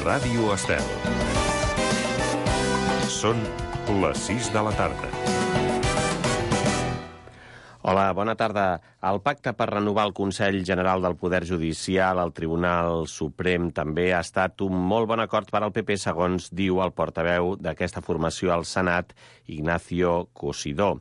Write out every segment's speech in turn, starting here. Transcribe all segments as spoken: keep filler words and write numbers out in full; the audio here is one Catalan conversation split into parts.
Ràdio Estel. Són les sis de la tarda. Hola, bona tarda. El pacte per renovar el Consell General del Poder Judicial al Tribunal Suprem també ha estat un molt bon acord per al P P, segons diu el portaveu d'aquesta formació al Senat, Ignacio Cosidó.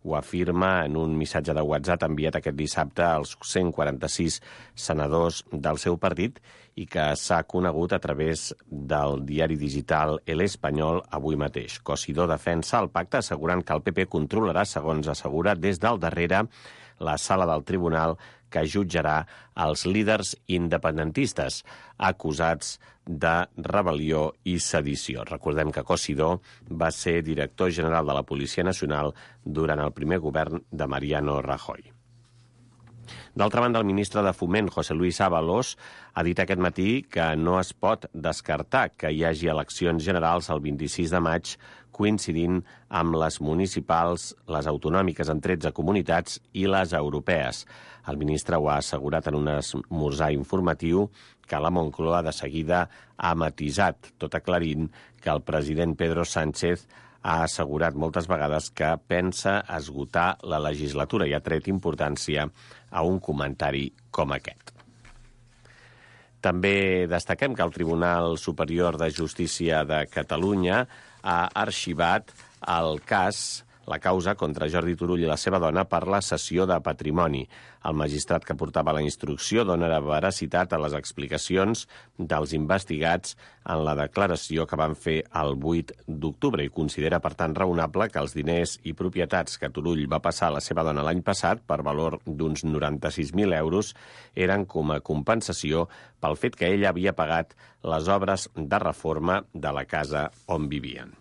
Ho afirma en un missatge de WhatsApp enviat aquest dissabte als cent quaranta-sis senadors del seu partit i que s'ha conegut a través del diari digital El Espanyol avui mateix. Cosidó defensa el pacte assegurant que el P P controlarà, segons assegura, des del darrere la sala del tribunal que jutjarà els líders independentistes acusats de rebel·lió i sedició. Recordem que Cosidó va ser director general de la Policia Nacional durant el primer govern de Mariano Rajoy. D'altra banda, el ministre de Foment, José Luis Ábalos, ha dit aquest matí que no es pot descartar que hi hagi eleccions generals el vint-i-sis de maig coincidint amb les municipals, les autonòmiques en tretze comunitats i les europees. El ministre ho ha assegurat en un esmorzar informatiu que la Moncloa de seguida ha matisat, tot aclarint que el president Pedro Sánchez ha assegurat moltes vegades que pensa esgotar la legislatura i ha tret importància a un comentari com aquest. També destaquem que el Tribunal Superior de Justícia de Catalunya ha arxivat el cas, la causa contra Jordi Turull i la seva dona per la cessió de patrimoni. El magistrat que portava la instrucció dona veracitat a les explicacions dels investigats en la declaració que van fer el vuit d'octubre i considera, per tant, raonable que els diners i propietats que Turull va passar a la seva dona l'any passat, per valor d'uns noranta-sis mil euros, eren com a compensació pel fet que ella havia pagat les obres de reforma de la casa on vivien.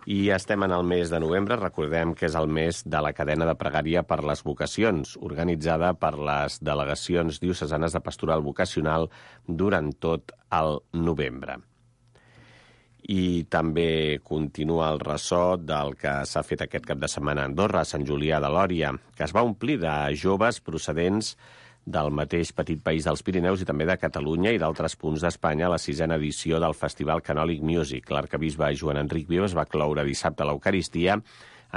I estem en el mes de novembre, recordem que és el mes de la cadena de pregària per les vocacions, organitzada per les delegacions diocesanes de pastoral vocacional durant tot el novembre. I també continua el ressò del que s'ha fet aquest cap de setmana a Andorra, a Sant Julià de Lòria, que es va omplir de joves procedents del mateix petit país dels Pirineus i també de Catalunya i d'altres punts d'Espanya a la sisena edició del Festival Canòlic Music. L'arquebisbe Joan Enric Vives va cloure dissabte l'Eucaristia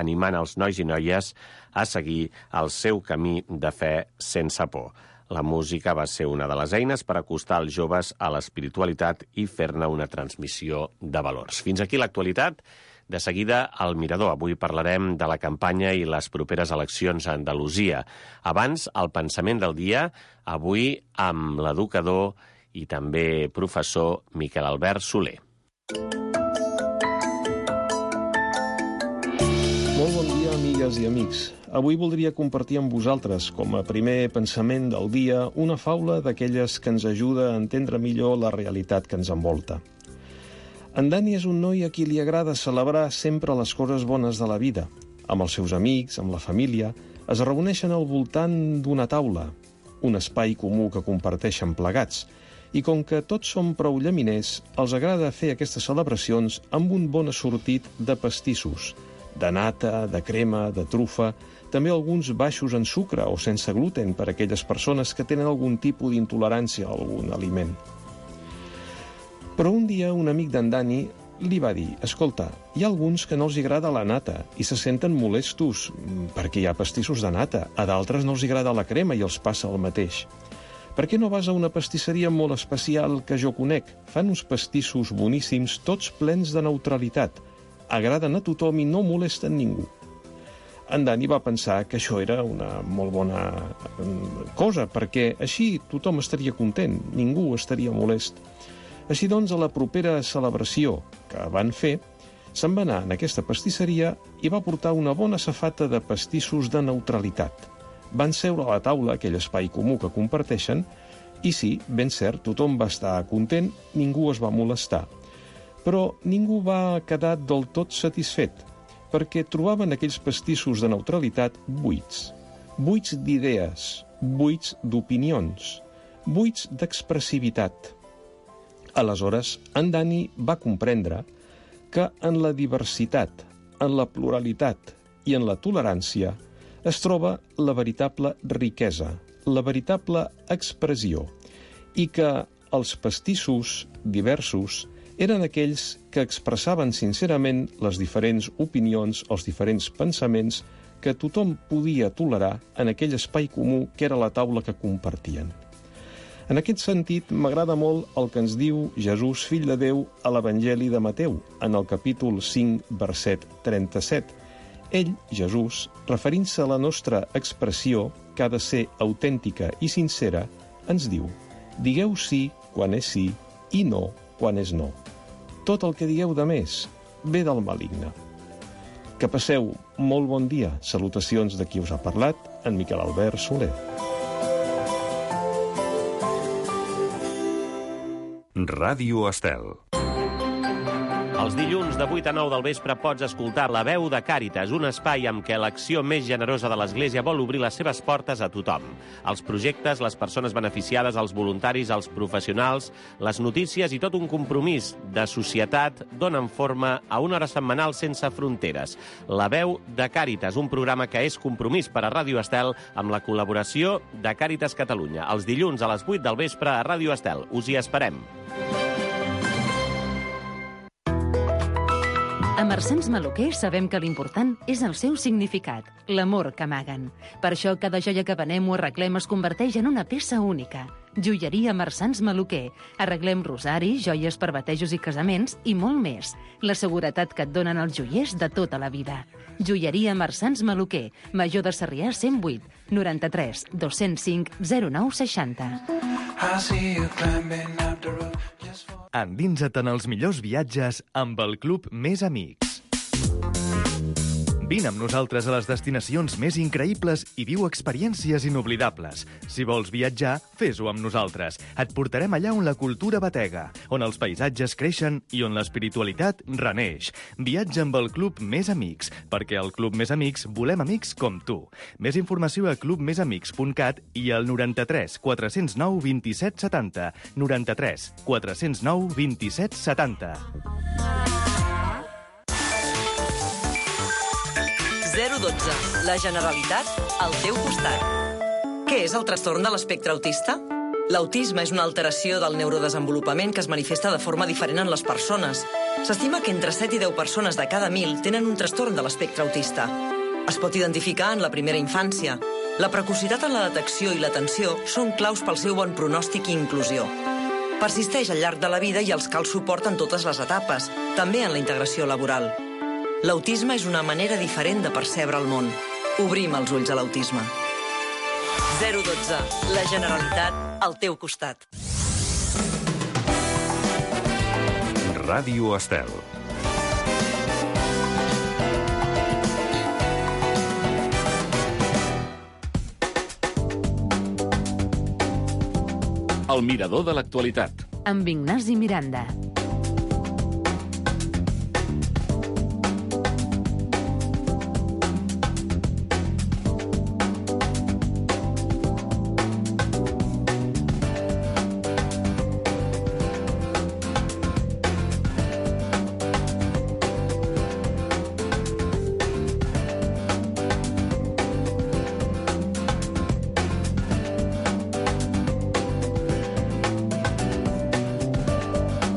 animant els nois i noies a seguir el seu camí de fe sense por. La música va ser una de les eines per acostar els joves a l'espiritualitat i fer-ne una transmissió de valors. Fins aquí l'actualitat. De seguida, al Mirador. Avui parlarem de la campanya i les properes eleccions a Andalusia. Abans, el pensament del dia, avui amb l'educador i també professor Miquel Albert Soler. Molt bon dia, amigues i amics. Avui voldria compartir amb vosaltres, com a primer pensament del dia, una faula d'aquelles que ens ajuda a entendre millor la realitat que ens envolta. En Dani és un noi a qui li agrada celebrar sempre les coses bones de la vida. Amb els seus amics, amb la família, es reuneixen al voltant d'una taula, un espai comú que comparteixen plegats. I com que tots som prou llaminers, els agrada fer aquestes celebracions amb un bon assortit de pastissos, de nata, de crema, de trufa, també alguns baixos en sucre o sense gluten per a aquelles persones que tenen algun tipus d'intolerància a algun aliment. Però un dia un amic d'en Dani li va dir: escolta, hi ha alguns que no els agrada la nata i se senten molestos perquè hi ha pastissos de nata. A d'altres no els agrada la crema i els passa el mateix. Per què no vas a una pastisseria molt especial que jo conec? Fan uns pastissos boníssims, tots plens de neutralitat. Agraden a tothom i no molesten ningú. En Dani va pensar que això era una molt bona cosa, perquè així tothom estaria content, ningú estaria molest. Així doncs, a la propera celebració que van fer, se'n va anar en aquesta pastisseria i va portar una bona safata de pastissos de neutralitat. Van seure a la taula, aquell espai comú que comparteixen, i sí, ben cert, tothom va estar content, ningú es va molestar. Però ningú va quedar del tot satisfet, perquè trobaven aquells pastissos de neutralitat buits. Buits d'idees, buits d'opinions, buits d'expressivitat. Aleshores, en Dani va comprendre que en la diversitat, en la pluralitat i en la tolerància es troba la veritable riquesa, la veritable expressió, i que els pastissos diversos eren aquells que expressaven sincerament les diferents opinions, els diferents pensaments que tothom podia tolerar en aquell espai comú que era la taula que compartien. En aquest sentit, m'agrada molt el que ens diu Jesús, fill de Déu, a l'Evangeli de Mateu, en el capítol cinc, verset trenta-set. Ell, Jesús, referint-se a la nostra expressió, que ha de ser autèntica i sincera, ens diu: digueu sí quan és sí i no quan és no. Tot el que digueu de més ve del maligne. Que passeu molt bon dia. Salutacions de qui us ha parlat, en Miquel Albert Soler. Ràdio Estel. Els dilluns de vuit a nou del vespre pots escoltar La veu de Càritas, un espai amb què l'acció més generosa de l'Església vol obrir les seves portes a tothom. Els projectes, les persones beneficiades, els voluntaris, els professionals, les notícies i tot un compromís de societat donen forma a una hora setmanal sense fronteres. La veu de Càritas, un programa que és compromís per a Ràdio Estel amb la col·laboració de Càritas Catalunya. Els dilluns a les vuit del vespre a Ràdio Estel. Us hi esperem. A Marsans Maluquer sabem que l'important és el seu significat, l'amor que amaguen. Per això cada joia que venem o arreglem es converteix en una peça única. Joieria Marsans Maluquer. Arreglem rosaris, joies per batejos i casaments i molt més. La seguretat que et donen els joiers de tota la vida. Joieria Marsans Maluquer. Major de Sarrià cent vuit, noranta-tres, dos-cents cinc, zero nou seixanta. Endinsa't en els millors viatges amb el Club Més Amics. Vine amb nosaltres a les destinacions més increïbles i viu experiències inoblidables. Si vols viatjar, fes-ho amb nosaltres. Et portarem allà on la cultura batega, on els paisatges creixen i on l'espiritualitat reneix. Viatja amb el Club Més Amics, perquè al Club Més Amics volem amics com tu. Més informació a club més amics punt cat i al noranta-tres, quatre-cents nou, vint-i-set, setanta. noranta-tres, quatre-cents nou, vint-i-set, setanta. zero dotze. La Generalitat al teu costat. Què és el trastorn de l'espectre autista? L'autisme és una alteració del neurodesenvolupament que es manifesta de forma diferent en les persones. S'estima que entre set i deu persones de cada mil tenen un trastorn de l'espectre autista. Es pot identificar en la primera infància. La precocitat en la detecció i l'atenció són claus pel seu bon pronòstic i inclusió. Persisteix al llarg de la vida i els cal suport en totes les etapes, també en la integració laboral. L'autisme és una manera diferent de percebre el món. Obrim els ulls a l'autisme. zero dotze. La Generalitat al teu costat. Ràdio Estel. El mirador de l'actualitat. Amb Ignasi Miranda.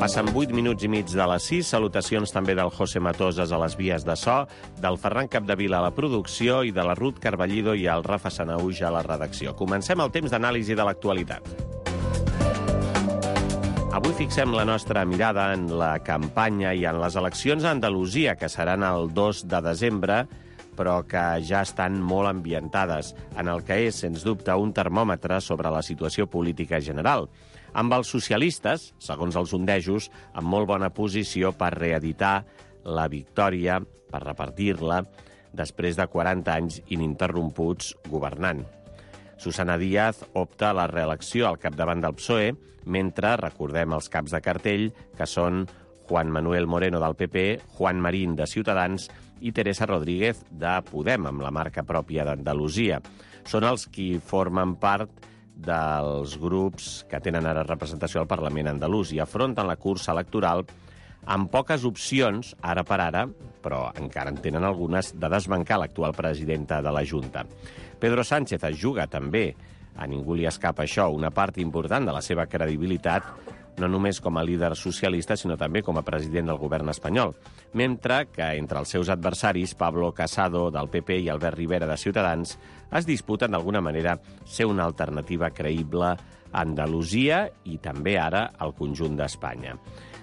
Passen vuit minuts i mig de les sis. Salutacions també del José Matoses a les vies de so, del Ferran Capdevila a la producció i de la Ruth Carballido i el Rafa Sanauja a la redacció. Comencem el temps d'anàlisi de l'actualitat. Avui fixem la nostra mirada en la campanya i en les eleccions a Andalusia, que seran el dos de desembre, però que ja estan molt ambientades, en el que és, sens dubte, un termòmetre sobre la situació política general. Amb els socialistes, segons els sondejos, en molt bona posició per reeditar la victòria, per repartir-la, després de quaranta anys ininterromputs governant. Susana Díaz opta a la reelecció al capdavant del P S O E, mentre recordem els caps de cartell, que són Juan Manuel Moreno del P P, Juan Marín de Ciutadans i Teresa Rodríguez de Podem, amb la marca pròpia d'Andalusia. Són els qui formen part dels grups que tenen ara representació al Parlament andalús i afronten la cursa electoral amb poques opcions, ara per ara, però encara en tenen algunes, de desbancar l'actual presidenta de la Junta. Pedro Sánchez es juga també A ningú li escapa això. Una part important de la seva credibilitat, no només com a líder socialista, sinó també com a president del govern espanyol. Mentre que entre els seus adversaris, Pablo Casado, del P P, i Albert Rivera, de Ciutadans, es disputen d'alguna manera ser una alternativa creïble a Andalusia i també ara al conjunt d'Espanya.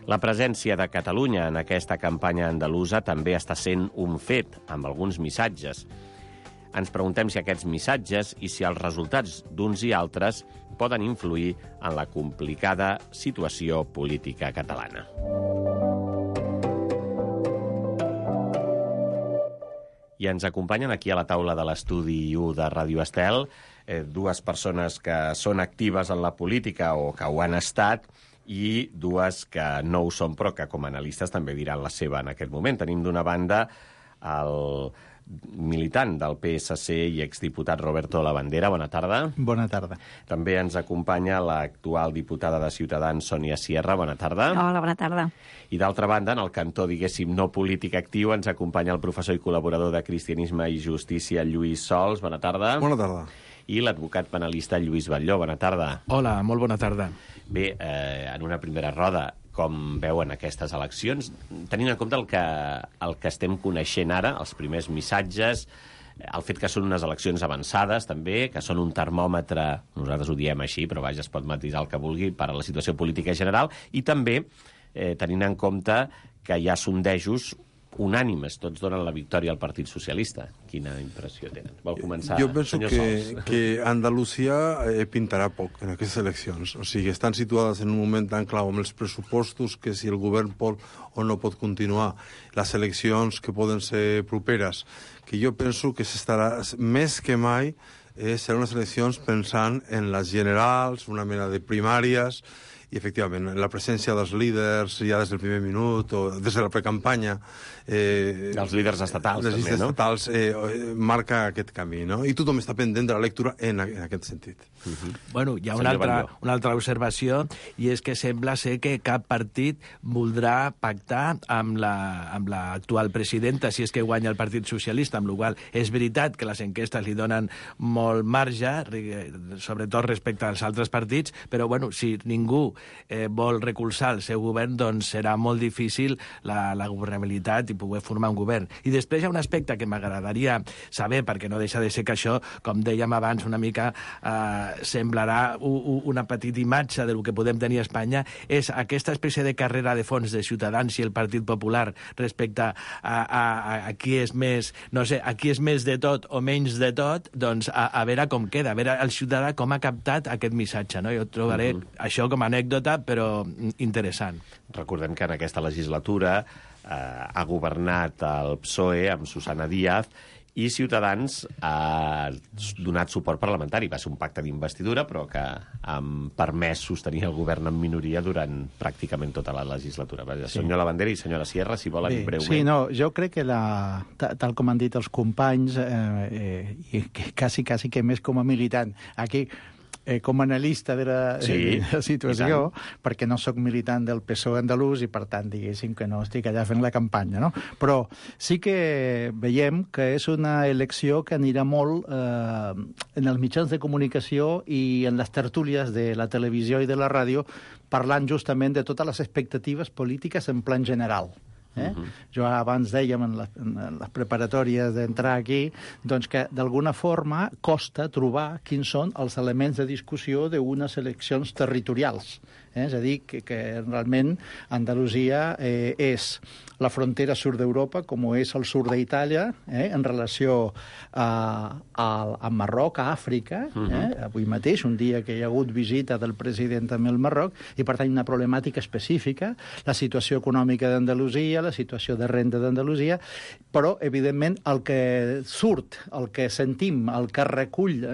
La presència de Catalunya en aquesta campanya andalusa també està sent un fet, amb alguns missatges. Ens preguntem si aquests missatges i si els resultats d'uns i altres poden influir en la complicada situació política catalana. I ens acompanyen aquí a la taula de l'estudi u de Ràdio Estel eh, dues persones que són actives en la política o que ho han estat i dues que no ho són però que com a analistes també diran la seva en aquest moment. Tenim d'una banda el militant del P S C i exdiputat Roberto Labandera. Bona tarda. Bona tarda. També ens acompanya l'actual diputada de Ciutadans, Sònia Sierra. Bona tarda. Hola, bona tarda. I d'altra banda, en el cantó, diguéssim, no polític actiu, ens acompanya el professor i col·laborador de Cristianisme i Justícia, Lluís Sols. Bona tarda. Bona tarda. I l'advocat penalista Lluís Batlló. Bona tarda. Hola, molt bona tarda. Bé, eh, en una primera roda, com veuen aquestes eleccions, tenint en compte el que, el que estem coneixent ara, els primers missatges, el fet que són unes eleccions avançades, també, que són un termòmetre, nosaltres ho diem així, però vaja, es pot matisar el que vulgui, per a la situació política general, i també eh, tenint en compte que hi ha sondejos unànimes, tots donen la victòria al Partit Socialista. Quina impressió tenen? Vol començar, jo penso senyor que, Sols? que Andalusia eh, pintarà poc en aquestes eleccions. O sigui, estan situades en un moment tan clau amb els pressupostos que si el govern pot o no pot continuar, les eleccions que poden ser properes, que jo penso que s'estarà més que mai eh, seran unes eleccions pensant en les generals, una mena de primàries, i, efectivament, la presència dels líders ja des del primer minut o des de la precampanya... Eh, els líders estatals, les també, no? Els estatals eh, marca aquest camí, no? I tothom està pendent de la lectura en, en aquest sentit. Uh-huh. Bueno, hi ha una altra, una altra observació, i és que sembla ser que cap partit voldrà pactar amb la, amb l'actual presidenta, si és que guanya el Partit Socialista, amb la qual cosa és veritat que les enquestes li donen molt marge, sobretot respecte als altres partits, però, bueno, si ningú eh, vol recolzar el seu govern, doncs serà molt difícil la, la governabilitat i poder formar un govern. I després hi ha un aspecte que m'agradaria saber, perquè no deixa de ser que això, com dèiem abans, una mica eh, semblarà u, u, una petita imatge del que podem tenir a Espanya, és aquesta espècie de carrera de fons de Ciutadans i el Partit Popular respecte a, a, a, a qui és més, no sé, a qui és més de tot o menys de tot, doncs a, a veure com queda, a veure el ciutadà com ha captat aquest missatge, no? Jo trobaré uh-huh. això com a anècdota, però interessant. Recordem que en aquesta legislatura eh, ha governat el P S O E amb Susana Díaz i Ciutadans ha donat suport parlamentari. Va ser un pacte d'investidura, però que ha permès sostenir el govern en minoria durant pràcticament tota la legislatura. Sí. Senyor Labandera i senyora Sierra, si volen Bé, breument. Sí, no, jo crec que, la, tal com han dit els companys, eh, eh, i que quasi, quasi que més com a militant, aquí... Eh, com a analista de la, sí, de la situació, perquè no sóc militant del P S O E andalús i, per tant, diguéssim que no estic allà fent la campanya, no? Però sí que veiem que és una elecció que anirà molt eh, en els mitjans de comunicació i en les tertúlies de la televisió i de la ràdio, parlant justament de totes les expectatives polítiques en plan general. Eh? Uh-huh. Jo abans dèiem en, la, en les preparatòries d'entrar aquí doncs que d'alguna forma costa trobar quins són els elements de discussió d'unes eleccions territorials. Eh? És a dir, que, que realment Andalusia eh, és la frontera sud d'Europa, com és el sud d'Itàlia, eh? en relació a, a, a Marroc, a Àfrica. Uh-huh. eh? Avui mateix, un dia que hi ha hagut visita del president també al Marroc, i per tant una problemàtica específica, la situació econòmica d'Andalusia, la situació de renda d'Andalusia, però, evidentment, el que surt, el que sentim, el que recull,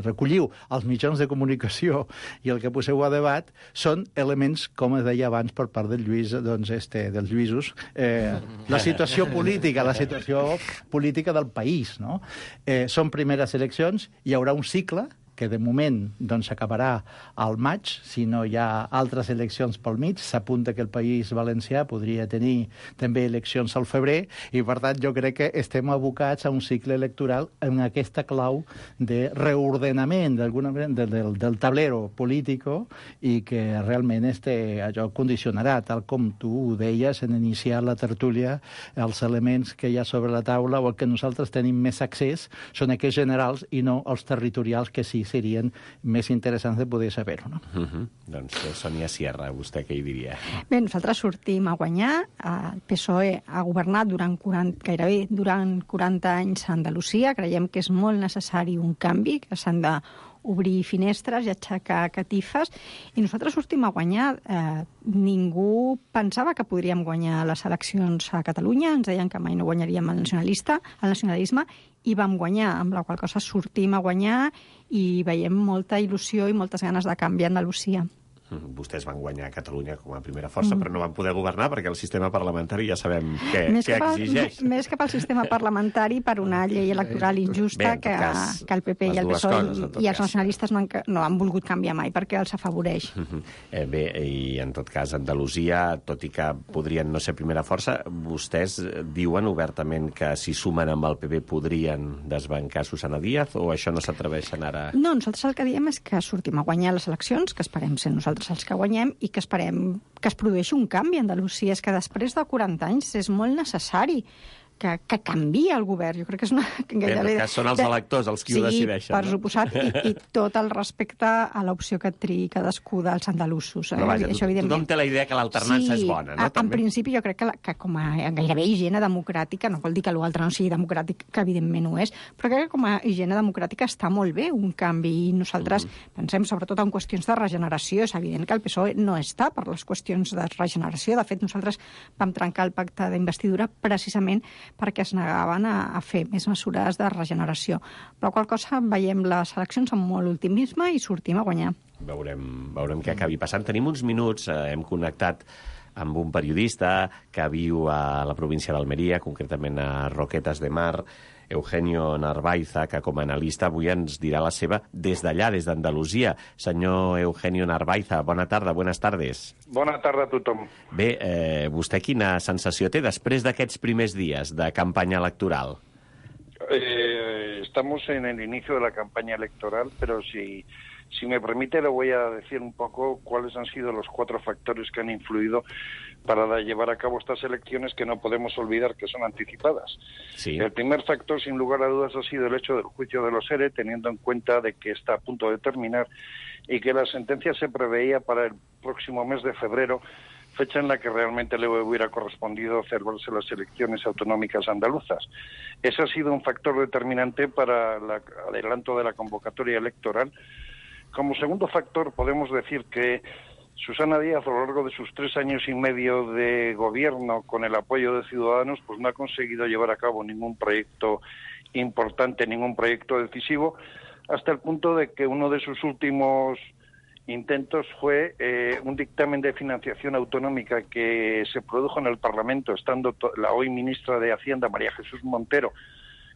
recolliu els mitjans de comunicació i el que poseu a debat, són elements, com es deia abans per part del Lluís, doncs, este, dels Lluïsos, eh, la situació política, la situació política del país, no? Eh, són primeres eleccions, hi haurà un cicle, que de moment doncs, s'acabarà al maig, si no hi ha altres eleccions pel mig. S'apunta que el País Valencià podria tenir també eleccions al febrer, i per tant jo crec que estem abocats a un cicle electoral en aquesta clau de reordenament d'alguna manera del, del, del tablero polític, i que realment este, allò condicionarà, tal com tu deies en iniciar la tertúlia, els elements que hi ha sobre la taula o el que nosaltres tenim més accés són aquells generals i no els territorials, que sí serien més interessants de poder saber-ho. No? Uh-huh. Doncs, Sònia Sierra, vostè què hi diria? Bé, nosaltres sortim a guanyar. El P S O E ha governat durant quaranta, gairebé durant quaranta anys a Andalusia. Creiem que és molt necessari un canvi, que s'han de obrir finestres i aixecar catifes, i nosaltres sortim a guanyar. Eh, ningú pensava que podríem guanyar les eleccions a Catalunya, ens deien que mai no guanyaríem el nacionalista, el nacionalisme, i vam guanyar, amb la qual cosa sortim a guanyar i veiem molta il·lusió i moltes ganes de canviar Andalusia. Vostès van guanyar a Catalunya com a primera força, mm. però no van poder governar perquè el sistema parlamentari ja sabem què, què exigeix. Al, més que pel sistema parlamentari, per una llei electoral injusta. Bé, que, cas, que el P P i el P S O E coses, i els nacionalistes no han, no han volgut canviar mai perquè els afavoreix. Mm-hmm. eh, bé, i en tot cas Andalusia, tot i que podrien no ser primera força, vostès diuen obertament que si sumen amb el P P podrien desbancar Susana Díaz, o això no s'atreveixen ara? No, nosaltres el que diem és que sortim a guanyar les eleccions, que esperem ser nosaltres els que guanyem, i que esperem que es produeixi un canvi a Andalusia. És que després de quaranta anys és molt necessari que, que canvia el govern. Jo crec que és una... Gairebé... Que són els electors els qui sí, ho decideixen. Sí, per no? suposat, i, i tot el respecte a l'opció que triï cadascú dels andalusos. Eh? Però vaja, això, tothom té la idea que l'alternança sí, és bona, no? A, en principi jo crec que, la, que com a gairebé higiene democràtica, no vol dir que l'altre no sigui democràtic, que evidentment ho és, però crec que com a higiene democràtica està molt bé un canvi, i nosaltres mm. pensem sobretot en qüestions de regeneració. És evident que el P S O E no està per les qüestions de regeneració. De fet, nosaltres vam trencar el pacte d'investidura precisament perquè es negava a, a fer més mesures de regeneració. Per la qual cosa veiem les eleccions amb molt optimisme i sortim a guanyar. Veurem, veurem què acabi passant. Tenim uns minuts, eh, hem connectat amb un periodista que viu a la província d'Almeria, concretament a Roquetas de Mar, Eugenio Narvaiza, que com a analista avui ens dirà la seva des d'allà, des d'Andalusia. Senyor Eugenio Narvaiza, bona tarda, buenas tardes. Bona tarda a tothom. Bé, eh, vostè quina sensació té després d'aquests primers dies de campanya electoral? Eh, estamos en el inicio de la campaña electoral, pero si, si me permite le voy a decir un poco cuáles han sido los cuatro factores que han influido para llevar a cabo estas elecciones, que no podemos olvidar que son anticipadas. Sí. El primer factor, sin lugar a dudas, ha sido el hecho del juicio de los ERE, teniendo en cuenta de que está a punto de terminar y que la sentencia se preveía para el próximo mes de febrero, fecha en la que realmente le hubiera correspondido celebrarse las elecciones autonómicas andaluzas. Ese ha sido un factor determinante para el adelanto de la convocatoria electoral. Como segundo factor, podemos decir que Susana Díaz, a lo largo de sus tres años y medio de gobierno, con el apoyo de Ciudadanos, pues no ha conseguido llevar a cabo ningún proyecto importante, ningún proyecto decisivo, hasta el punto de que uno de sus últimos intentos fue eh, un dictamen de financiación autonómica que se produjo en el Parlamento, estando la hoy ministra de Hacienda, María Jesús Montero,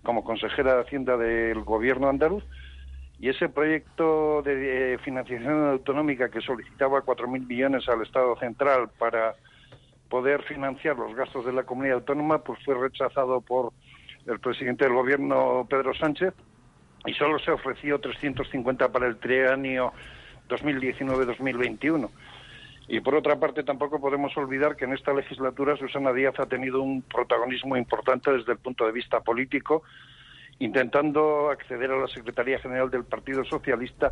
como consejera de Hacienda del gobierno andaluz, y ese proyecto de eh, financiación autonómica que solicitaba cuatro mil millones al Estado central para poder financiar los gastos de la comunidad autónoma, pues fue rechazado por el presidente del gobierno, Pedro Sánchez, y solo se ofreció trescientos cincuenta para el trienio dos mil diecinueve dos mil veintiuno. Y por otra parte, tampoco podemos olvidar que en esta legislatura Susana Díaz ha tenido un protagonismo importante desde el punto de vista político, intentando acceder a la Secretaría General del Partido Socialista,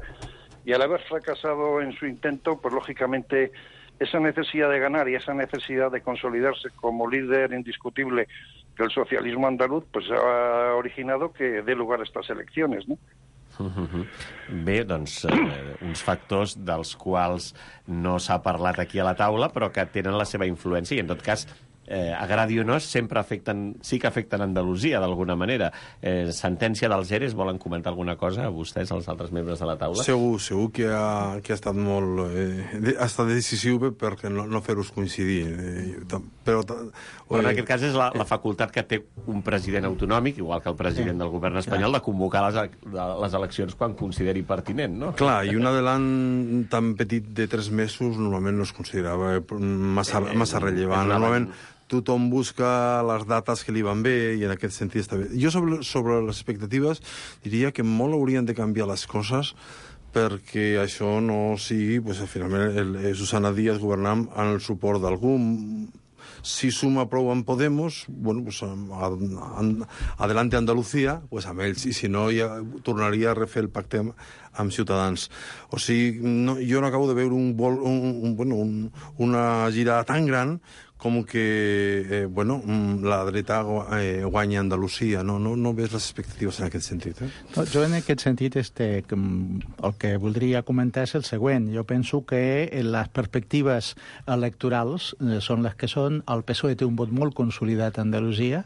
y al haber fracasado en su intento, pues lógicamente esa necesidad de ganar y esa necesidad de consolidarse como líder indiscutible del socialismo andaluz, pues ha originado que dé lugar a estas elecciones, ¿no? Bé, doncs, eh, uns factors dels quals no s'ha parlat aquí a la taula, però que tenen la seva influència, i en tot cas eh, agradi o no, sempre afecten, sí que afecten Andalusia, d'alguna manera. Eh, sentència dels E R E S, volen comentar alguna cosa a vostès, els altres membres de la taula? Segur, segur que ha, que ha estat molt... Eh, ha estat decisiu perquè no, no fer-los coincidir. Eh, però, però en aquest cas és la, la facultat que té un president autonòmic, igual que el president del govern espanyol, de convocar les, les eleccions quan consideri pertinent, no? Clar, i un adelant tan petit de tres mesos normalment no es considerava massa, massa rellevant. Normalment tothom busca les dates que li van bé i en aquest sentit està bé. Jo sobre, sobre les expectatives diria que molt haurien de canviar les coses perquè això no sigui, pues, finalment, el, el Susana Díaz governant amb el suport d'algú. Si suma prou amb Podemos, bueno, pues, adelante Andalucía, pues amb ells, i si no, ja tornaria a refer el pacte amb, amb Ciutadans. O sigui, no, jo no acabo de veure un, vol, un, un, bueno, un, una girada tan gran com que, eh, bueno, la dreta eh, guanya Andalusia. No, no, no ves les expectatives en aquest sentit, eh? No, jo en aquest sentit este, el que voldria comentar és el següent. Jo penso que les perspectives electorals són les que són. El P S O E té un vot molt consolidat a Andalusia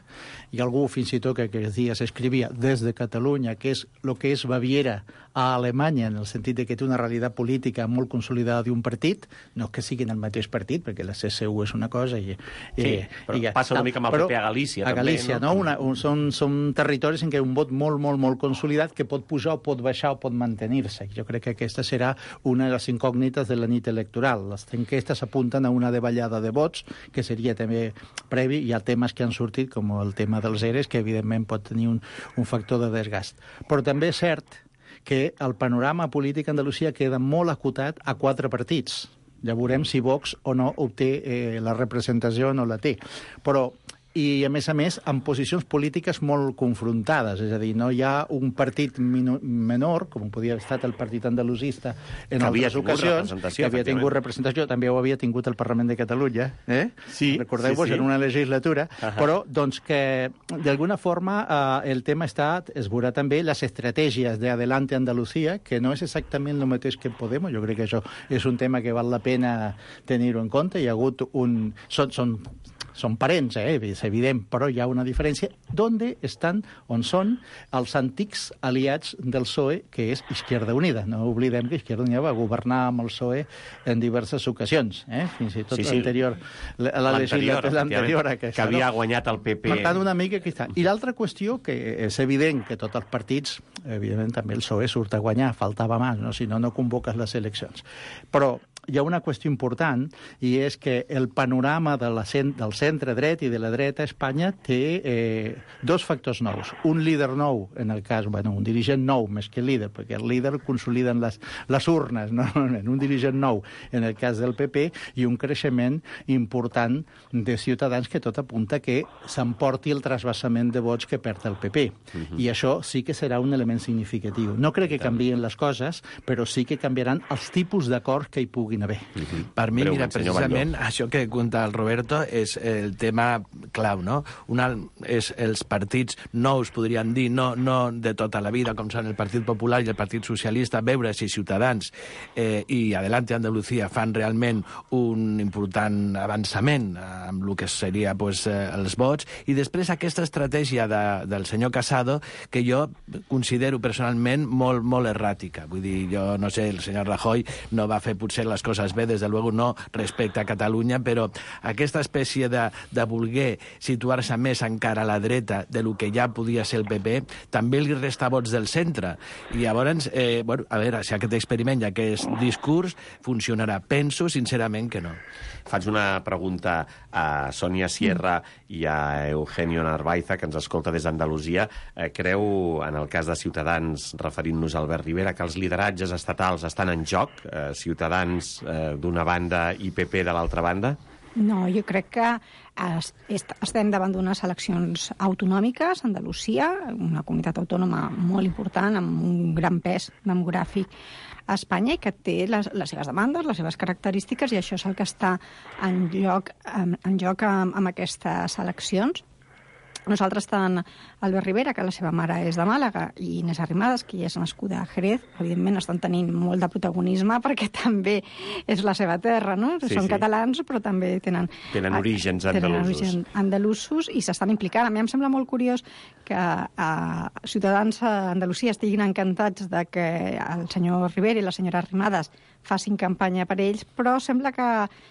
i algú fins i tot que aquests dies escrivia des de Catalunya, que és el que és Baviera a Alemanya, en el sentit de que té una realitat política molt consolidada d'un partit, no que siguin el mateix partit, perquè la C S U és una cosa i... Sí, eh, però i ja, passa una mica amb el P P a Galícia, a Galícia, també, no? no? Una, un, són, són territoris en què un vot molt, molt, molt consolidat que pot pujar o pot baixar o pot mantenir-se. Jo crec que aquesta serà una de les incògnites de la nit electoral. Les enquestes apunten a una davallada de vots, que seria també previ. Hi ha temes que han sortit, com el tema dels E R E S, que evidentment pot tenir un, un factor de desgast. Però també és cert que el panorama polític a Andalusia queda molt acotat a quatre partits. Ja veurem si Vox o no obté eh, la representació o no la té. Però, i a més a més, amb posicions polítiques molt confrontades. És a dir, no hi ha un partit menor, com podia haver estat el partit andalusista en altres ocasions, que havia tingut representació, també ho havia tingut el Parlament de Catalunya, eh? Sí, recordeu-vos, sí, sí. En una legislatura, uh-huh. Però doncs que d'alguna forma eh, el tema està, es veurà també les estratègies d'Adelante Andalucía, que no és exactament el mateix que Podemos. Jo crec que això és un tema que val la pena tenir-ho en compte. Hi ha hagut un... Són, són, són parents, eh? És evident, però hi ha una diferència. D'on estan, on són els antics aliats del P S O E, que és Izquierda Unida. No oblidem que Izquierda Unida va governar amb el P S O E en diverses ocasions, eh? Fins i tot sí, sí. l'anterior, la, la legislatura anterior a aquesta. Que havia guanyat el P P. Per tant, una mica aquí està. I l'altra qüestió, que és evident que tots els partits, evidentment també el P S O E surt a guanyar, faltava més, no? Si no, no convoques les eleccions. Però hi ha una qüestió important, i és que el panorama de la cent, del centre dret i de la dreta a Espanya té eh, dos factors nous. Un líder nou, en el cas, bueno, un dirigent nou més que líder, perquè el líder consoliden les, les urnes, no? Un dirigent nou en el cas del P P, i un creixement important de Ciutadans que tot apunta que s'emporti el trasbassament de vots que perd el P P. Uh-huh. I això sí que serà un element significatiu. No crec que canvien les coses, però sí que canviaran els tipus d'acords que hi puguin haver. Uh-huh. Per mi, Breu, mira, precisament això que conta el Roberto és el tema clau, no? Una és els partits nous, podríem dir, no, no de tota la vida, com són el Partit Popular i el Partit Socialista, veure si Ciutadans eh, i Adelante Andalucía fan realment un important avançament amb el que seria pues, eh, els vots, i després aquesta estratègia de, del senyor Casado, que jo considero personalment molt, molt erràtica. Vull dir, jo no sé, el senyor Rajoy no va fer potser les coses bé, des de luego no respecte a Catalunya, però aquesta espècie de, de voler situar-se més encara a la dreta de lo que ja podia ser el P P, també li resta vots del centre. I llavors, eh, bueno, a veure, si aquest experiment i aquest discurs funcionarà. Penso, sincerament, que no. Faig una pregunta a Sònia Sierra i a Eugenio Narvaiza, que ens escolta des d'Andalusia. Eh, creu, en el cas de Ciutadans, referint-nos a Albert Rivera, que els lideratges estatals estan en joc? Eh, Ciutadans eh, d'una banda i P P de l'altra banda? No, jo crec que estem davant d'unes eleccions autonòmiques, Andalusia, una comunitat autònoma molt important, amb un gran pes demogràfic a Espanya, i que té les, les seves demandes, les seves característiques, i això és el que està en joc, en, en joc amb, amb aquestes eleccions. Nosaltres tant Albert Rivera, que la seva mare és de Màlaga, i Inés Arrimadas, que ja és nascuda a Jerez, evidentment estan tenint molt de protagonisme perquè també és la seva terra, no? Sí, Són sí. catalans, però també tenen... Tenen orígens andalusos. Tenen orígens andalusos i s'estan implicant. A mi em sembla molt curiós que a ciutadans a Andalusia estiguin encantats de que el senyor Rivera i la senyora Arrimadas facin campanya per ells, però sembla que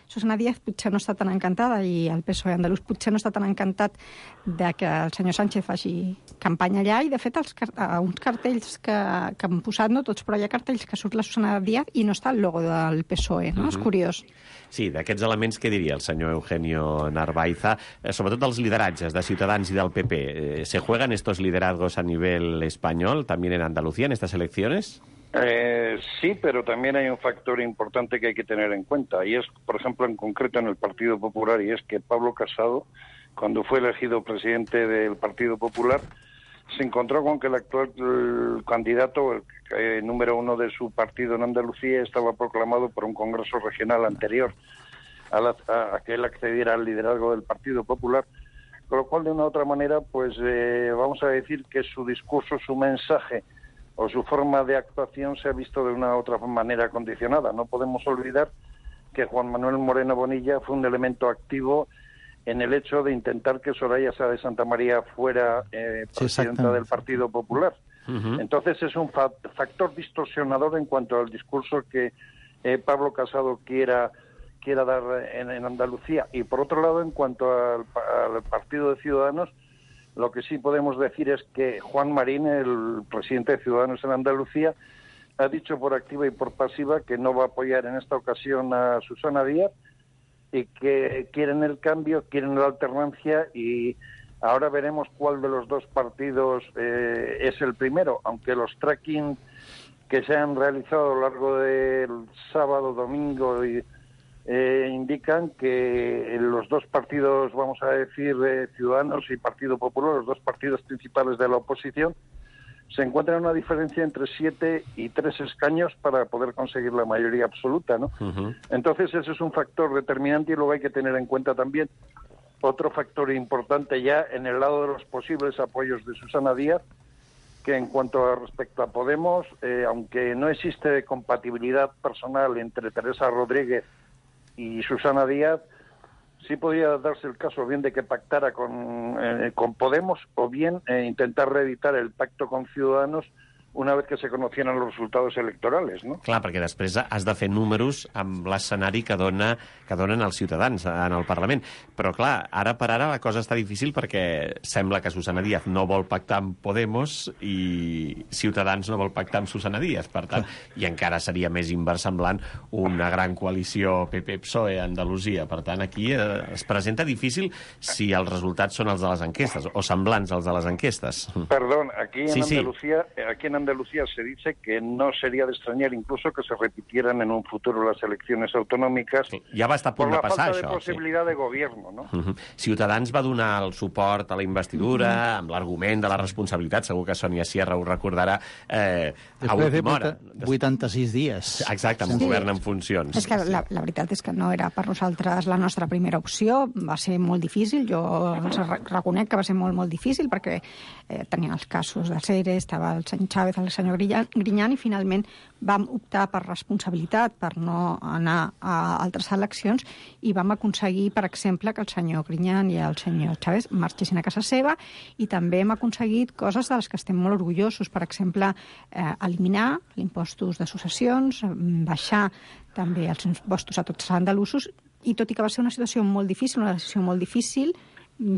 Susana Díaz potser no està tan encantada i el P S O E andalús potser no està tan encantat de que el senyor Sánchez faci campanya allà i, de fet, els, uns cartells que, que han posat, no tots, però hi ha cartells que surt la Susana Díaz i no està el logo del P S O E, no? Uh-huh. És curiós. Sí, d'aquests elements, què diria el senyor Eugenio Narvaiza? Eh, sobretot dels lideratges de Ciutadans i del P P. Eh, ¿Se juegan estos liderazgos a nivel español, también en Andalucía, en estas elecciones? Eh, sí, pero también hay un factor importante que hay que tener en cuenta, y es, por ejemplo, en concreto en el Partido Popular, y es que Pablo Casado, cuando fue elegido presidente del Partido Popular, se encontró con que el actual el candidato, el eh, número uno de su partido en Andalucía, estaba proclamado por un congreso regional anterior a, la, a, a que él accediera al liderazgo del Partido Popular, con lo cual, de una u otra manera, pues eh, vamos a decir que su discurso, su mensaje o su forma de actuación se ha visto de una u otra manera condicionada. No podemos olvidar que Juan Manuel Moreno Bonilla fue un elemento activo en el hecho de intentar que Soraya Sáez de Santa María fuera eh, presidenta sí, del Partido Popular. Uh-huh. Entonces es un fa factor distorsionador en cuanto al discurso que eh, Pablo Casado quiera, quiera dar en, en Andalucía. Y por otro lado, en cuanto al, al Partido de Ciudadanos, lo que sí podemos decir es que Juan Marín, el presidente de Ciudadanos en Andalucía, ha dicho por activa y por pasiva que no va a apoyar en esta ocasión a Susana Díaz y que quieren el cambio, quieren la alternancia, y ahora veremos cuál de los dos partidos eh, es el primero, aunque los tracking que se han realizado a lo largo del sábado, domingo y Eh, indican que los dos partidos, vamos a decir, eh, Ciudadanos y Partido Popular, los dos partidos principales de la oposición, se encuentran en una diferencia entre siete y tres escaños para poder conseguir la mayoría absoluta, ¿no? Uh-huh. Entonces ese es un factor determinante, y luego hay que tener en cuenta también otro factor importante ya en el lado de los posibles apoyos de Susana Díaz, que en cuanto a respecto a Podemos, eh, aunque no existe compatibilidad personal entre Teresa Rodríguez y Susana Díaz, sí podría darse el caso bien de que pactara con, eh, con Podemos, o bien eh, intentar reeditar el pacto con Ciudadanos una vez que se conocieran los resultados electorals, no? Clar, perquè després has de fer números amb l'escenari que, dona, que donen els ciutadans en el Parlament. Però, clar, ara per ara la cosa està difícil perquè sembla que Susana Díaz no vol pactar amb Podemos i Ciutadans no vol pactar amb Susana Díaz. Per tant, i encara seria més inversemblant una gran coalició P P P S O E a Andalusia. Per tant, aquí eh, es presenta difícil si els resultats són els de les enquestes, o semblants als de les enquestes. Perdón, aquí en sí, Andalucía, sí. aquí en Andalucía se dice que no sería de extrañar incluso que se repitieran en un futuro las elecciones autonómicas. Sí, ja va estar a punt de passar, això. Por la falta de possibilitat sí. de gobierno, no? Uh-huh. Ciutadans va donar el suport a la investidura uh-huh. amb l'argument de la responsabilitat, segur que Sònia Sierra ho recordarà, eh, a última hora. vuitanta-sis dies. Exacte, amb un sí. govern en funcions. És que la, la veritat és que no era per nosaltres la nostra primera opció, va ser molt difícil, jo els reconec que va ser molt, molt difícil, perquè eh, tenia els casos de Cere, estava el senyor Chávez, el senyor Griñán, i finalment vam optar per responsabilitat, per no anar a altres eleccions, i vam aconseguir, per exemple, que el senyor Griñán i el senyor Chávez marxessin a casa seva, i també hem aconseguit coses de les que estem molt orgullosos, per exemple, eh, eliminar impostos de successions, baixar també els impostos a tots els andalusos, i tot i que va ser una situació molt difícil, una decisió molt difícil,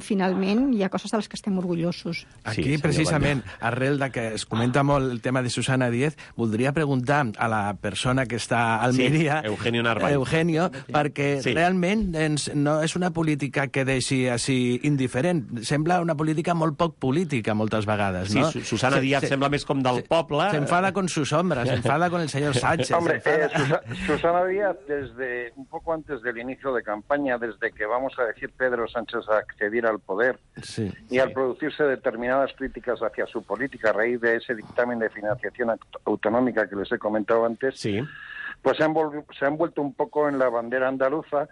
finalment hi ha coses de les que estem orgullosos. Aquí, sí, precisament, arrel de que es comenta molt el tema de Susana Díaz, voldria preguntar a la persona que està a Almeria, sí, Eugenio Narváez, Eugenio, perquè sí. realment ens, no és una política que deixi així indiferent. Sembla una política molt poc política, moltes vegades, ¿no? Sí, Susana Díaz se, sembla més com del se, poble. Se enfada con sus sombras, se enfada con el señor Sánchez. Hombre, eh, Susana, Susana Díaz, desde un poco antes del inicio de campaña, desde que, vamos a decir, Pedro Sánchez accedió al poder sí, y sí. al producirse determinadas críticas hacia su política a raíz de ese dictamen de financiación autonómica que les he comentado antes, sí. pues se han, se han vuelto un poco en la bandera andaluza,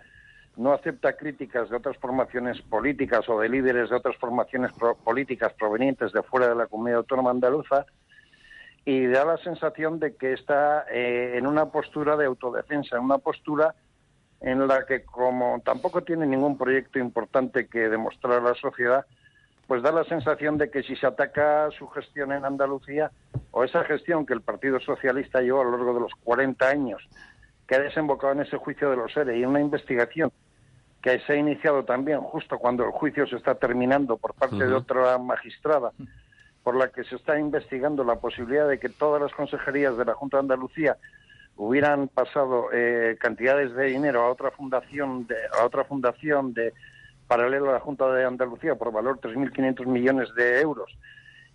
no acepta críticas de otras formaciones políticas o de líderes de otras formaciones pro- políticas provenientes de fuera de la comunidad autónoma andaluza, y da la sensación de que está eh, en una postura de autodefensa, en una postura en la que, como tampoco tiene ningún proyecto importante que demostrar a la sociedad, pues da la sensación de que si se ataca su gestión en Andalucía, o esa gestión que el Partido Socialista llevó a lo largo de los cuarenta años, que ha desembocado en ese juicio de los ERE y en una investigación que se ha iniciado también justo cuando el juicio se está terminando por parte uh-huh. de otra magistrada, por la que se está investigando la posibilidad de que todas las consejerías de la Junta de Andalucía hubieran pasado eh, cantidades de dinero a otra fundación de a otra fundación de paralela a la Junta de Andalucía por valor tres mil quinientos millones de euros,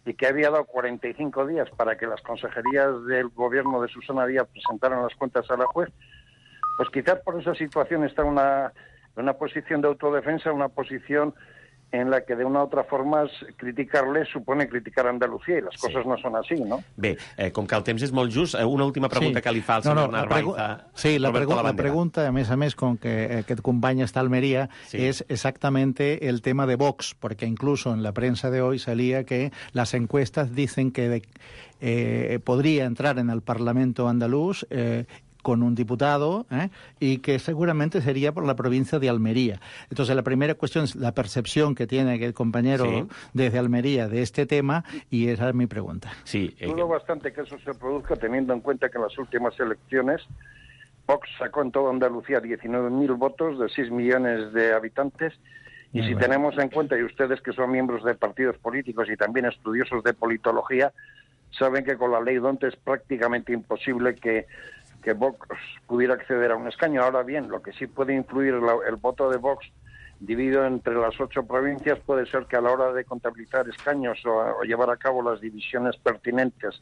y que había dado cuarenta y cinco días para que las consejerías del gobierno de Susana Díaz presentaran las cuentas a la juez, pues quizás por esa situación está una, una posición de autodefensa, una posición en la que de una u altra forma criticar-le supone criticar a Andalucía, i les sí. coses no són així, no? Bé, eh, com que el temps és molt just, eh, una última pregunta sí. que li fa al senyor no, no, Narváez. Sí, la, pregu la pregunta, a més a més, con que aquest company està a Almería, sí. es exactamente el tema de Vox, porque incluso en la prensa de hoy salía que las encuestas dicen que de, eh, podría entrar en el Parlamento andaluz eh, con un diputado, ¿eh? y que seguramente sería por la provincia de Almería. Entonces, la primera cuestión es la percepción que tiene el compañero sí. desde Almería de este tema, y esa es mi pregunta. Sí, eh... Dudo bastante que eso se produzca, teniendo en cuenta que en las últimas elecciones Vox sacó en toda Andalucía diecinueve mil votos de seis millones de habitantes, y Muy si bueno. tenemos en cuenta, y ustedes que son miembros de partidos políticos y también estudiosos de politología, saben que con la ley D'Hondt es prácticamente imposible que que Vox pudiera acceder a un escaño. Ahora bien, lo que sí puede influir la, el voto de Vox dividido entre las ocho provincias puede ser que a la hora de contabilizar escaños o, o llevar a cabo las divisiones pertinentes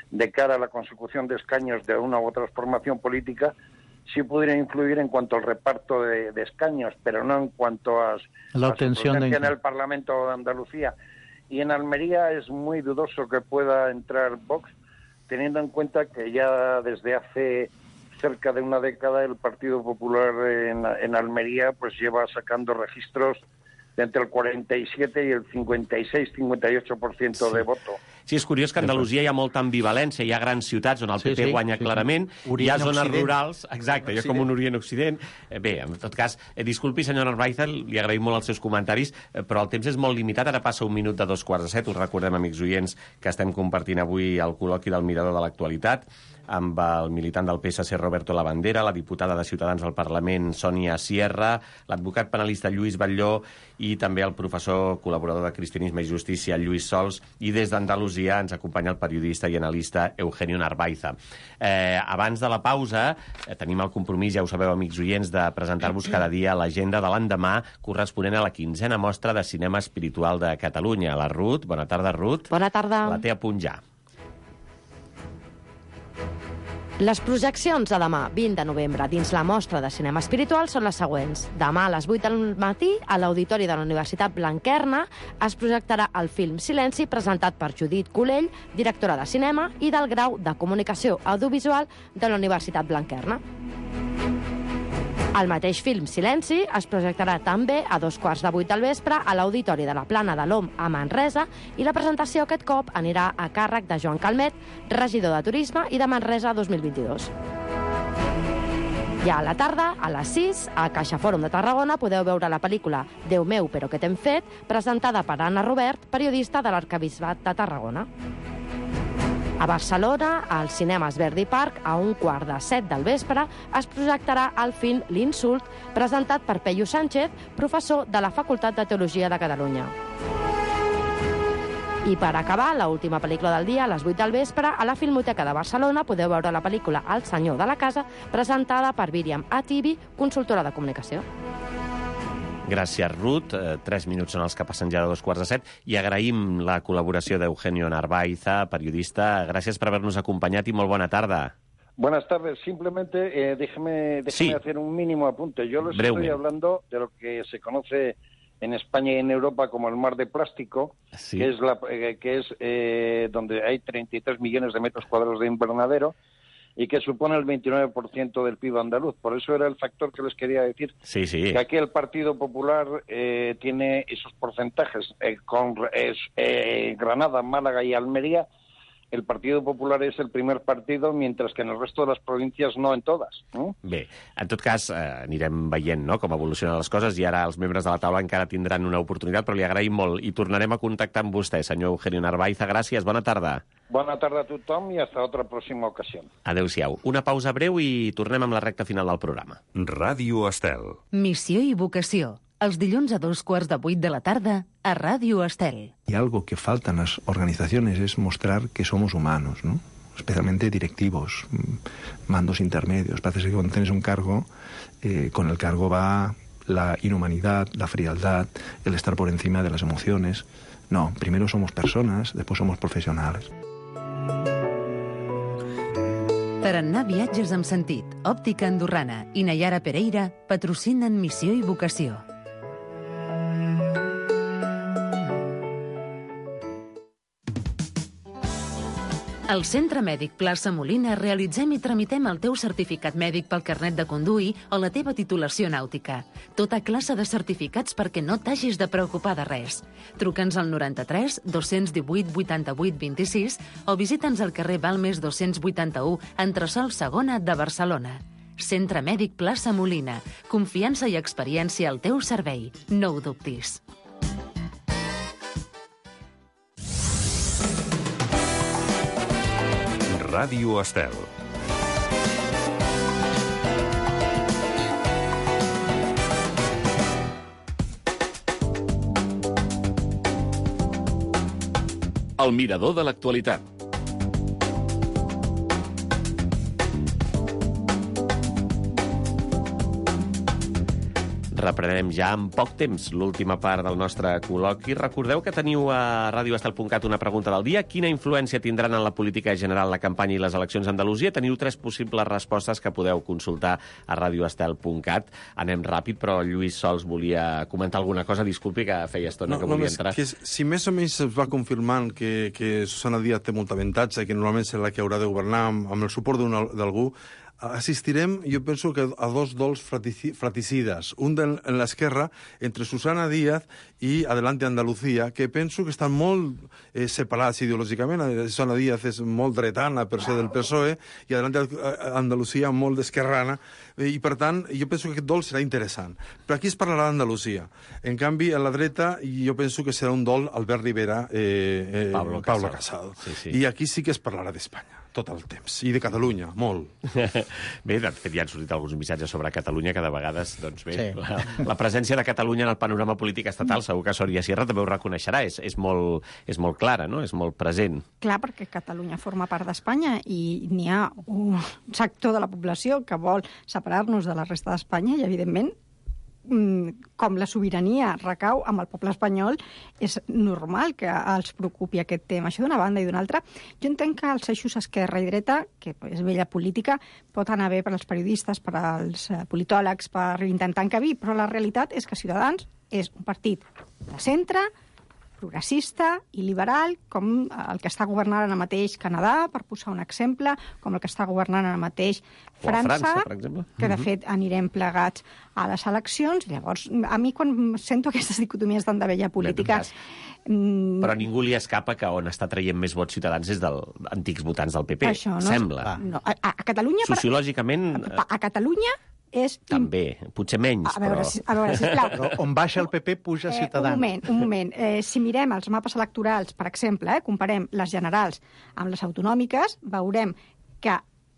de cara a la consecución de escaños de una u otra formación política, sí pudiera influir en cuanto al reparto de, de escaños, pero no en cuanto a la obtención de en el Parlamento de Andalucía. Y en Almería es muy dudoso que pueda entrar Vox, teniendo en cuenta que ya desde hace cerca de una década el Partido Popular en, en Almería pues lleva sacando registros de entre el cuarenta y siete y el cincuenta y seis cincuenta y ocho por ciento sí. de voto. Sí, és curiós que a Andalusia hi ha molta ambivalència, hi ha grans ciutats on el P P sí, sí, guanya sí, clarament, sí. hi ha zones Occident. rurals, exacte, hi ha com un Orient-Occident. Bé, en tot cas, eh, disculpi, senyor Narváez, li agraïm molt els seus comentaris, eh, però el temps és molt limitat, ara passa un minut de dos quarts de set, us recordem, amics oients, que estem compartint avui el col·loqui del Mirador de l'Actualitat, amb el militant del P S C Roberto Labandera, la diputada de Ciutadans al Parlament Sònia Sierra, l'advocat penalista Lluís Batlló i també el professor col·laborador de Cristianisme i Justícia Lluís Sols, i des d'Andalusia ens acompanya el periodista i analista Eugenio Narváez. Eh, abans de la pausa eh, tenim el compromís, ja ho sabeu, amics oients, de presentar-vos cada dia l'agenda de l'endemà corresponent a la quinzena mostra de cinema espiritual de Catalunya. La Ruth, bona tarda, Ruth. Bona tarda. La té a punt ja. Les projeccions de demà, vint de novembre, dins la mostra de cinema espiritual són les següents. Demà a les vuit del matí, a l'Auditori de la Universitat Blanquerna, es projectarà el film Silenci, presentat per Judit Colell, directora de cinema i del grau de Comunicació Audiovisual de la Universitat Blanquerna. El mateix film Silenci es projectarà també a dos quarts de vuit del vespre a l'Auditori de la Plana de l'Om a Manresa, i la presentació aquest cop anirà a càrrec de Joan Calmet, regidor de Turisme i de Manresa dos mil vint-i-dos. Ja a la tarda, a les sis, a Caixa Fòrum de Tarragona podeu veure la pel·lícula Déu meu, però què t'hem fet?, presentada per Anna Robert, periodista de l'Arquebisbat de Tarragona. A Barcelona, al Cinemes Verdi Park, a un quart de set del vespre, es projectarà el film L'insult, presentat per Peyu Sánchez, professor de la Facultat de Teologia de Catalunya. I per acabar, l'última pel·lícula del dia, a les vuit del vespre, a la Filmoteca de Barcelona podeu veure la pel·lícula El senyor de la casa, presentada per Míriam Atibi, consultora de comunicació. Gràcies, Ruth. Eh, tres minuts són els que passen ja de dos quarts de set, i agraïm la col·laboració d'Eugenio Narváez, periodista. Gràcies per haver-nos acompanyat i molt bona tarda. Buenas tardes. Simplemente eh, déjeme, déjeme sí. hacer un mínimo apunte. Yo les Breume. estoy hablando de lo que se conoce en España y en Europa como el mar de plástico, sí. que es, la, eh, que es eh, donde hay treinta y tres millones de metros cuadrados de invernadero, y que supone el veintinueve por ciento del P I B andaluz. Por eso era el factor que les quería decir, sí, sí. que aquí el Partido Popular eh, tiene esos porcentajes. Eh, con eh, eh, Granada, Málaga y Almería, el Partido Popular és el primer partido, mientras que en el resto de les províncies no en totes. No? Bé, en tot cas, eh, anirem veient no, com evolucionen les coses, i ara els membres de la taula encara tindran una oportunitat, però li agraïm molt i tornarem a contactar amb vostè, senyor Eugenio Narvaiza. Gràcies, bona tarda. Bona tarda a tothom i hasta otra pròxima ocasió. Adéu-siau. Una pausa breu i tornem amb la recta final del programa. Ràdio Estel. Missió i vocació. Els dilluns a dos quarts de vuit de la tarda a Ràdio Estel. Y algo que falta en las organizaciones es mostrar que somos humanos, ¿no? Especialmente directivos, mandos intermedios. Parece que cuando tienes un cargo, eh, con el cargo va la inhumanidad, la frialdad, el estar por encima de las emociones. No, primero somos personas, después somos profesionales. Tarannà Viatges amb sentit, Òptica Andorrana i Nayara Pereira patrocinen Missió i vocació. Al Centre Mèdic Plaça Molina realitzem i tramitem el teu certificat mèdic pel carnet de conduir o la teva titulació nàutica. Tota classe de certificats perquè no t'hagis de preocupar de res. Truca'ns al noranta-tres dos divuit vuitanta-vuit vint-i-sis o visita'ns al carrer Balmes dos-cents vuitanta-u, entresòl segona de Barcelona. Centre Mèdic Plaça Molina. Confiança i experiència al teu servei. No ho dubtis. Ràdio Estel. El mirador de l'actualitat. Reprenem ja en poc temps l'última part del nostre col·loqui. Recordeu que teniu a ràdio estel punt cat una pregunta del dia. Quina influència tindran en la política general la campanya i les eleccions a Andalusia? Teniu tres possibles respostes que podeu consultar a ràdio estel punt cat. Anem ràpid, però Lluís Sols volia comentar alguna cosa. Disculpi, que feia estona no, que volia només entrar. Que si més o menys es va confirmant que, que Susana Díaz té molt avantatge i que normalment serà la que haurà de governar amb, amb el suport d'algú, assistirem, jo penso que a dos dols fraticides. Un de, en l'esquerra, entre Susana Díaz i Adelante Andalucía, que penso que estan molt eh, separats ideològicament. Susana Díaz és molt dretana per ser del P S O E i Adelante Andalucía molt d'esquerrana. I, per tant, jo penso que aquest dol serà interessant. Però aquí es parlarà d'Andalusia. En canvi, a la dreta, jo penso que serà un dol Albert Rivera, eh, eh, Pablo, Pablo Casado. Sí, sí. I aquí sí que es parlarà d'Espanya tot el temps. I de Catalunya, molt. Bé, de fet, ja han sortit alguns missatges sobre Catalunya que de vegades, doncs bé, sí. la, la presència de Catalunya en el panorama polític estatal, segur que Sòria Sierra també ho reconeixerà, és, és, molt, és molt clara, no? És molt present. Clar, perquè Catalunya forma part d'Espanya i n'hi ha un sector de la població que vol separar-nos de la resta d'Espanya i, evidentment, com la sobirania recau amb el poble espanyol, és normal que els preocupi aquest tema. Això d'una banda i d'una altra. Jo entenc que els eixos esquerra i dreta, que és vella política, pot anar bé per als periodistes, per als politòlegs, per intentar encabir, però la realitat és que Ciutadans és un partit de centre, progressista i liberal, com el que està governant ara mateix Canadà, per posar un exemple, com el que està governant ara mateix França, França per exemple. Que de fet anirem plegats a les eleccions. Llavors, a mi quan sento aquestes dicotomies tan de vella política... Mm... Però a ningú li escapa que on està traient més vots Ciutadans és dels antics votants del P P, Això, no? sembla. No, a, a Catalunya... Sociològicament... A, a Catalunya és... També, potser menys, a veure, però... A veure, sisplau. Però on baixa el P P, puja Ciutadans. Eh, un moment, un moment. Eh, si mirem els mapes electorals, per exemple, eh, comparem les generals amb les autonòmiques, veurem que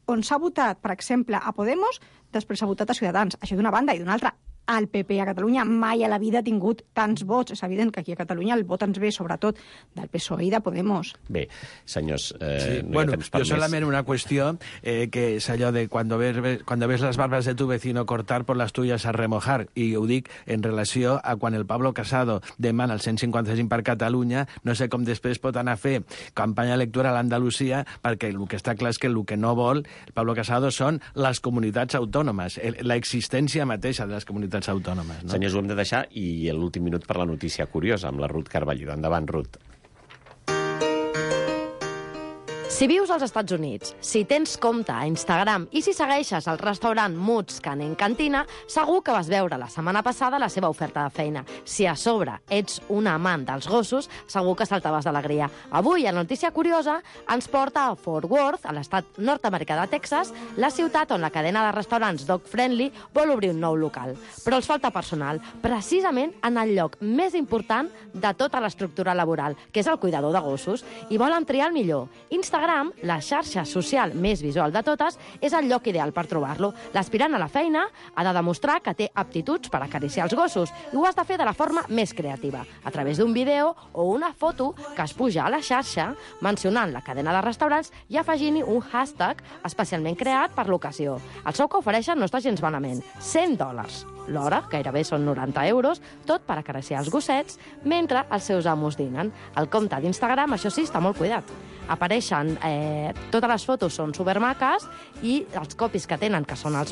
on s'ha votat, per exemple, a Podemos, després s'ha votat a Ciutadans. Això d'una banda, i d'una altra, el P P a Catalunya mai a la vida ha tingut tants vots. És evident que aquí a Catalunya el vot ens ve sobretot del P S O E i de Podemos. Bé, senyors, eh, sí. no bueno, hi ha temps per yo solamente una cuestión, eh, que es allò de cuando ves, cuando ves las barbas de tu vecino cortar, por las tuyas a remojar. I ho dic en relació a quan el Pablo Casado demana el cent cinquanta-cinc per Catalunya, no sé com després pot anar a fer campanya electoral a Andalusia, perquè el que està clar és que el que no vol el Pablo Casado són les comunitats autònomes, l'existència mateixa de les comunitats autònomes. No? Senyors, ho hem de deixar, i l'últim minut per la notícia curiosa, amb la Ruth Carballido. Endavant, Ruth. Si vius als Estats Units, si tens compte a Instagram i si segueixes el restaurant Moods Canning Cantina, segur que vas veure la setmana passada la seva oferta de feina. Si a sobre ets un amant dels gossos, segur que saltaves d'alegria. Avui, a Notícia Curiosa, ens porta a Fort Worth, a l'estat nord-americà de Texas, la ciutat on la cadena de restaurants Dog Friendly vol obrir un nou local. Però els falta personal, precisament en el lloc més important de tota l'estructura laboral, que és el cuidador de gossos, i volen triar el millor. Instagram, la xarxa social més visual de totes, és el lloc ideal per trobar-lo. L'aspirant a la feina ha de demostrar que té aptituds per acariciar els gossos i ho has de fer de la forma més creativa, a través d'un vídeo o una foto que es puja a la xarxa mencionant la cadena de restaurants i afegint-hi un hashtag especialment creat per l'ocasió. El sou que ofereixen no està gens malament, cent dòlars. L'hora, gairebé són noranta euros, tot per acariciar els gossets mentre els seus amos dinen. El compte d'Instagram, això sí, està molt cuidat. Apareixen, eh, totes les fotos són supermaques i els copis que tenen, que són els